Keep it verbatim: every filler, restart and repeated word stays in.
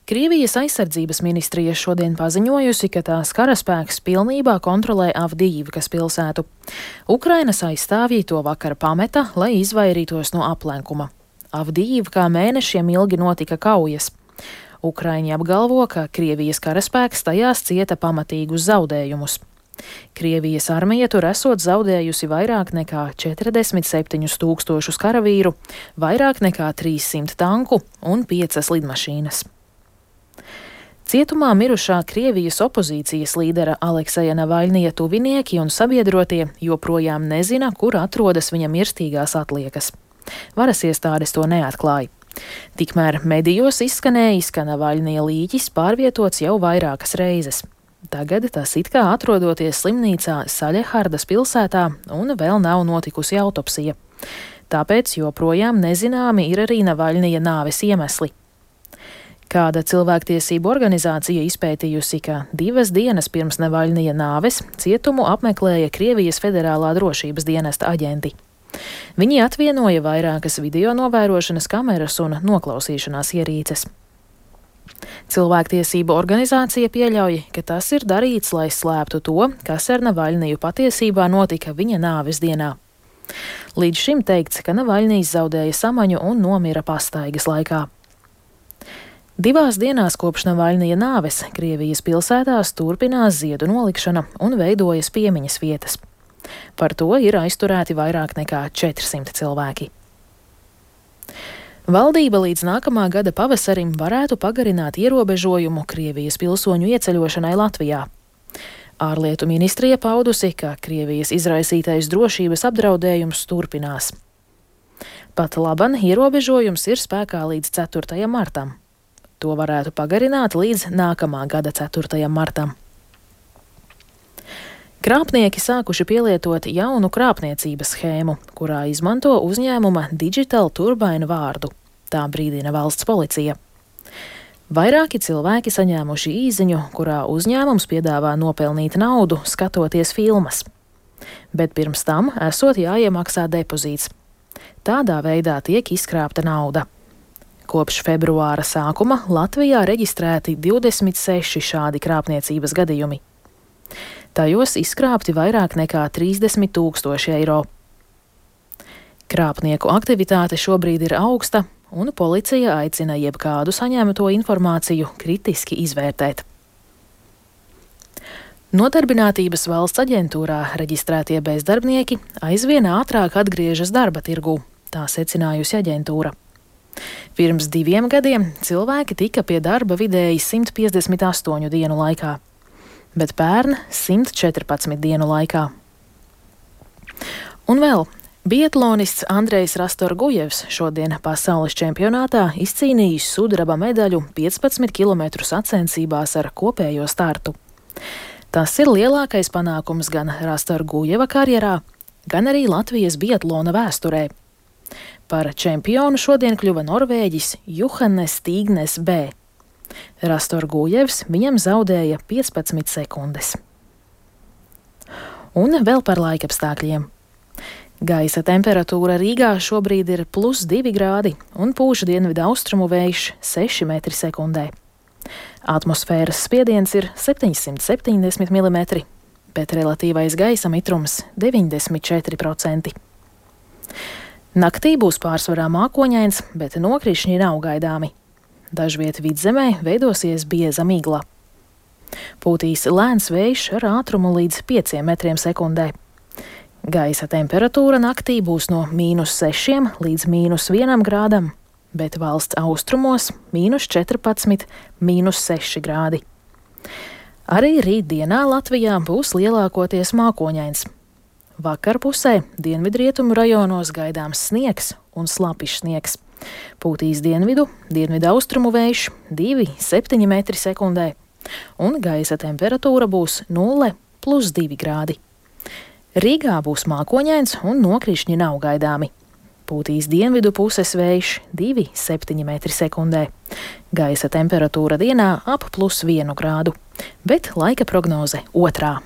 Krievijas aizsardzības ministrija šodien paziņojusi, ka tās karaspēks pilnībā kontrolē Avdijivkas pilsētu. Ukrainas aizstāvji to vakar pameta, lai izvairītos no aplenkuma. Avdijivkā mēnešiem ilgi notika kaujas. Ukraiņi apgalvo, ka Krievijas karaspēks tajās cieta pamatīgus zaudējumus. Krievijas armija tur esot zaudējusi vairāk nekā četrdesmit septiņus tūkstošus karavīru, vairāk nekā trīssimt tanku un piecas lidmašīnas. Cietumā mirušā Krievijas opozīcijas līdera Alekseja Navaļnija tuvinieki un sabiedrotie joprojām nezina, kur atrodas viņa mirstīgās atliekas. Varas iestādes to neatklāja. Tikmēr medijos izskanējis, ka Navaļnija līķis pārvietots jau vairākas reizes. Tagad tas it kā atrodoties slimnīcā Saļehardas pilsētā un vēl nav notikusi autopsija. Tāpēc joprojām nezināmi ir arī Navaļnija nāves iemesli. Kāda cilvēktiesību organizācija izpētījusi, ka divas dienas pirms Navaļnija nāves cietumu apmeklēja Krievijas federālā drošības dienesta aģenti. Viņi atvienoja vairākas video novērošanas kameras un noklausīšanās ierīces. Cilvēktiesību organizācija pieļauj, ka tas ir darīts, lai slēptu to, kas ar Navaļniju patiesībā notika viņa nāves dienā. Līdz šim teikts, ka Navaļnijs zaudēja samaņu un nomira pastaigas laikā. Divās dienās kopš Navaļnija nāves Krievijas pilsētās turpinās ziedu nolikšana un veidojas piemiņas vietas. Par to ir aizturēti vairāk nekā četrsimt cilvēki. Valdība līdz nākamā gada pavasarim varētu pagarināt ierobežojumu Krievijas pilsoņu ieceļošanai Latvijā. Ārlietu ministrija paudusi, ka Krievijas izraisītais drošības apdraudējums turpinās. Pat laban ierobežojums ir spēkā līdz ceturtajam martam. To varētu pagarināt līdz nākamā gada ceturtajam martam. Krāpnieki sākuši pielietot jaunu krāpniecības schēmu, kurā izmanto uzņēmuma Digital Turbine vārdu. Tā brīdina valsts policija. Vairāki cilvēki saņēmuši īziņu, kurā uzņēmums piedāvā nopelnīt naudu, skatoties filmas. Bet pirms tam esot jāiemaksā depozīts. Tādā veidā tiek izkrāpta nauda. Kopš februāra sākuma Latvijā reģistrēti divdesmit seši šādi krāpniecības gadījumi. Tajos izkrāpti vairāk nekā trīsdesmit tūkstoši eiro. Krāpnieku aktivitāte šobrīd ir augsta, un policija aicina jebkādu saņemto informāciju kritiski izvērtēt. Nodarbinātības valsts aģentūrā reģistrētie bezdarbnieki aizvien ātrāk atgriežas darba tirgū, tā secinājusi aģentūra. Pirms diviem gadiem cilvēki tika pie darba vidēji simt piecdesmit astoņu dienu laikā. Bet pērn simt četrpadsmit dienu laikā. Un vēl biatlonists Andrejs Rastorgujevs šodien pasaules čempionātā izcīnījis sudraba medaļu piecpadsmit kilometru sacensībās ar kopējo startu. Tas ir lielākais panākums gan Rastorgujeva karjerā, gan arī Latvijas biatlona vēsturē. Par čempionu šodien kļuva norvēģis Juhanes Stīgnes B. Rastorgujevs viņam zaudēja piecpadsmit sekundes. Un vēl par laikapstākļiem. Gaisa temperatūra Rīgā šobrīd ir plus divi grādi un pūš dienvidu austrumu vējš seši metri sekundē. Atmosfēras spiediens ir septiņsimt septiņdesmit milimetri, bet relatīvais gaisa mitrums deviņdesmit četri procenti. Naktī būs pārsvarā mākoņains, bet nokrišņi nav gaidāmi. Dažviet vidzemē veidosies bieza migla. Pūtīs lēns vējš ar ātrumu līdz pieciem metriem sekundē. Gaisa temperatūra naktī būs no mīnus sešiem līdz mīnus vienam grādam, bet valsts austrumos mīnus četrpadsmit, mīnus seši grādi. Arī rītdienā Latvijā būs lielākoties mākoņains. Vakarpusē dienvidrietumu rajonos gaidāms sniegs un slapjš sniegs. Pūtīs dienvidu, dienvidu austrumu vējš divi, septiņi metri sekundē, un gaisa temperatūra būs nulle plus divi grādi. Rīgā būs mākoņains un nokrišņi nav gaidāmi. Pūtīs dienvidu puses vējš divi, septiņi metri sekundē. Gaisa temperatūra dienā ap plus vienu grādu, bet laika prognoze otrā.